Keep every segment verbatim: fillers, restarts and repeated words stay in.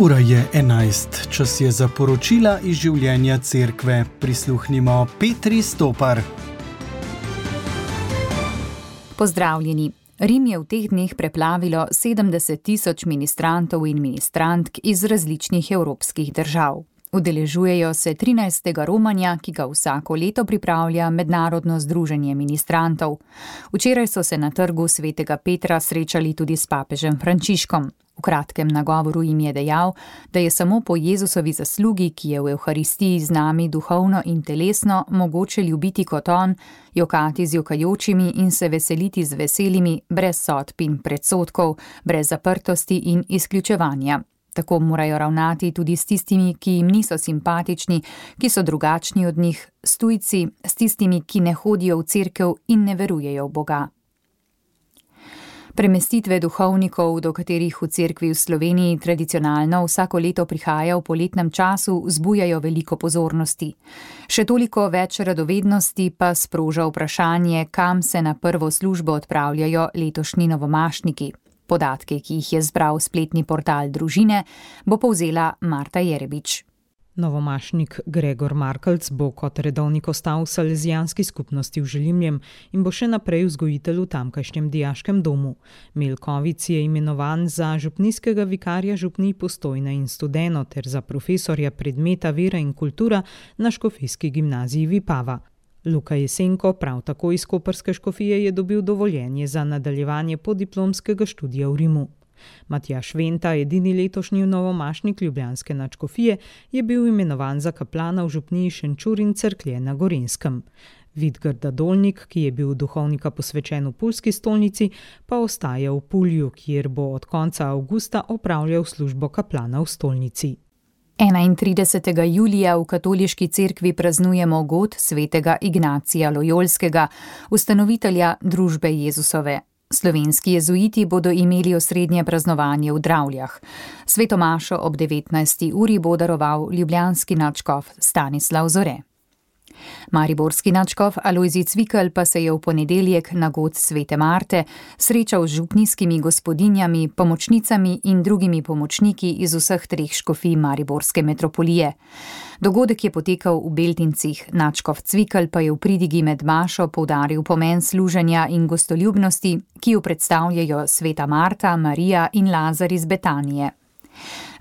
Ura je enajst, čas je za poročila iz življenja cerkve. Prisluhnimo Petri Stopar. Pozdravljeni. Rim je v teh dneh preplavilo sedemdeset tisoč ministrantov in ministrantk iz različnih evropskih držav. Udeležujejo se trinajstega romanja, ki ga vsako leto pripravlja Mednarodno združenje ministrantov. Včeraj so se na trgu svetega Petra srečali tudi s papežem Frančiškom. V kratkem nagovoru jim je dejal, da je samo po Jezusovi zaslugi, ki je v Evharistiji z nami duhovno in telesno, mogoče ljubiti kot on, jokati z jokajočimi in se veseliti z veselimi, brez sodb in predsodkov, brez zaprtosti in izključevanja. Tako morajo ravnati tudi s tistimi, ki jim niso simpatični, ki so drugačni od njih, s tujci, s tistimi, ki ne hodijo v cerkev in ne verujejo v Boga. Premestitve duhovnikov, do katerih v cerkvi v Sloveniji tradicionalno vsako leto prihaja v poletnem času, vzbujajo veliko pozornosti. Še toliko več radovednosti pa sproža vprašanje, kam se na prvo službo odpravljajo letošnji novomašniki. Podatke, ki jih je zbral spletni portal Družine, bo povzela Marta Jerebič. Novomašnik Gregor Markelc bo kot redovnik ostal v salezijanski skupnosti v Želimljem in bo še naprej vzgojitelj v tamkajšnjem dijaškem domu. Milkovic je imenovan za župnijskega vikarja župnij Postojna in Studeno ter za profesorja predmeta Vera in kultura na škofijski gimnaziji Vipava. Luka Jesenko, prav tako iz koprske škofije, je dobil dovoljenje za nadaljevanje podiplomskega študija v Rimu. Matjaž Venta, edini letošnji novomašnik ljubljanske nadškofije, je bil imenovan za kaplana v župniji Šenčur in Cerklje na Gorenjskem. Vidgarda Dolnik, ki je bil duhovnika posvečen v Pulski stolnici, pa ostaja v Pulju, kjer bo od konca avgusta opravljal službo kaplana v stolnici. enaintridesetega julija v katoliški cerkvi praznujemo god svetega Ignacija Lojolskega, ustanovitelja družbe Jezusove. Slovenski jezuiti bodo imeli osrednje praznovanje v Dravljah. Svetomašo ob devetnajsti uri bo daroval ljubljanski nadškof Stanislav Zore. Mariborski nadškof Alojzij Cvikl pa se je v ponedeljek na god svete Marte srečal z župnijskimi gospodinjami, pomočnicami in drugimi pomočniki iz vseh treh škofij mariborske metropolije. Dogodek je potekal v Beltincih, nadškof Cvikl pa je v pridigi med mašo poudaril pomen služenja in gostoljubnosti, ki jo predstavljajo sveta Marta, Marija in Lazar iz Betanije.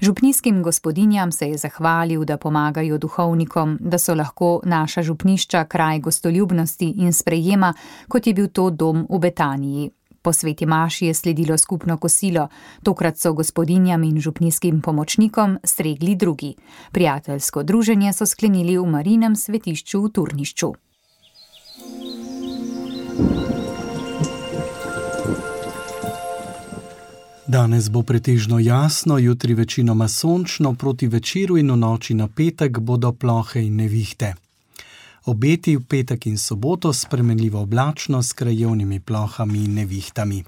Župnijskim gospodinjam se je zahvalil, da pomagajo duhovnikom, da so lahko naša župnišča kraj gostoljubnosti in sprejema, kot je bil to dom v Betaniji. Po sveti maši je sledilo skupno kosilo, tokrat so gospodinjam in župnijskim pomočnikom stregli drugi. Prijateljsko druženje so sklenili v Marinem svetišču v Turnišču. Danes bo pretežno jasno, jutri večinoma sončno, proti večeru in v noči na petek bodo plohe in nevihte. Obeti v petek in soboto spremenljivo oblačno s krajevnimi plohami in nevihtami.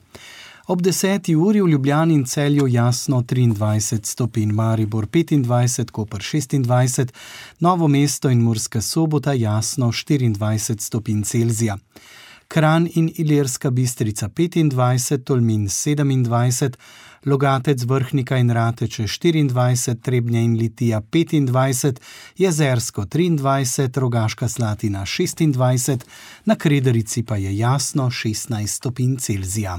Ob deseti uri v Ljubljani in Celju jasno triindvajset stopinj, Maribor petindvajset, Koper šestindvajset, Novo mesto in Murska Sobota jasno štiriindvajset stopinj Celzija. Kranj in Ilirska Bistrica petindvajset, Tolmin sedemindvajset, Logatec, Vrhnika in Rateče štiriindvajset, Trebnje in Litija petindvajset, Jezersko triindvajset, Rogaška Slatina šestindvajset, na Krederici pa je jasno šestnajst stopinj Celzija.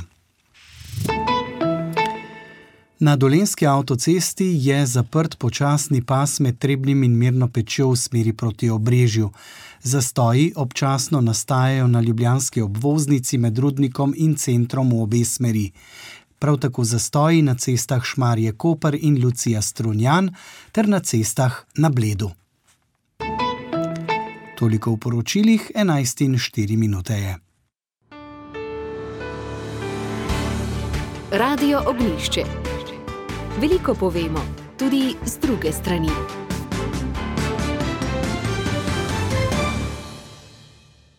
Na dolenjski avtocesti je zaprt počasni pas med Trebnjem in Mirno Pečjo v smeri proti Obrežju. Zastoji občasno nastajajo na ljubljanski obvoznici med Rudnikom in centrom v obe smeri. Prav tako zastoji na cestah Šmarje-Koper in Lucija-Strunjan ter na cestah na Bledu. Toliko v poročilih, enajst in štiri minute je. Radio Ognjišče. Veliko povemo, tudi z druge strani.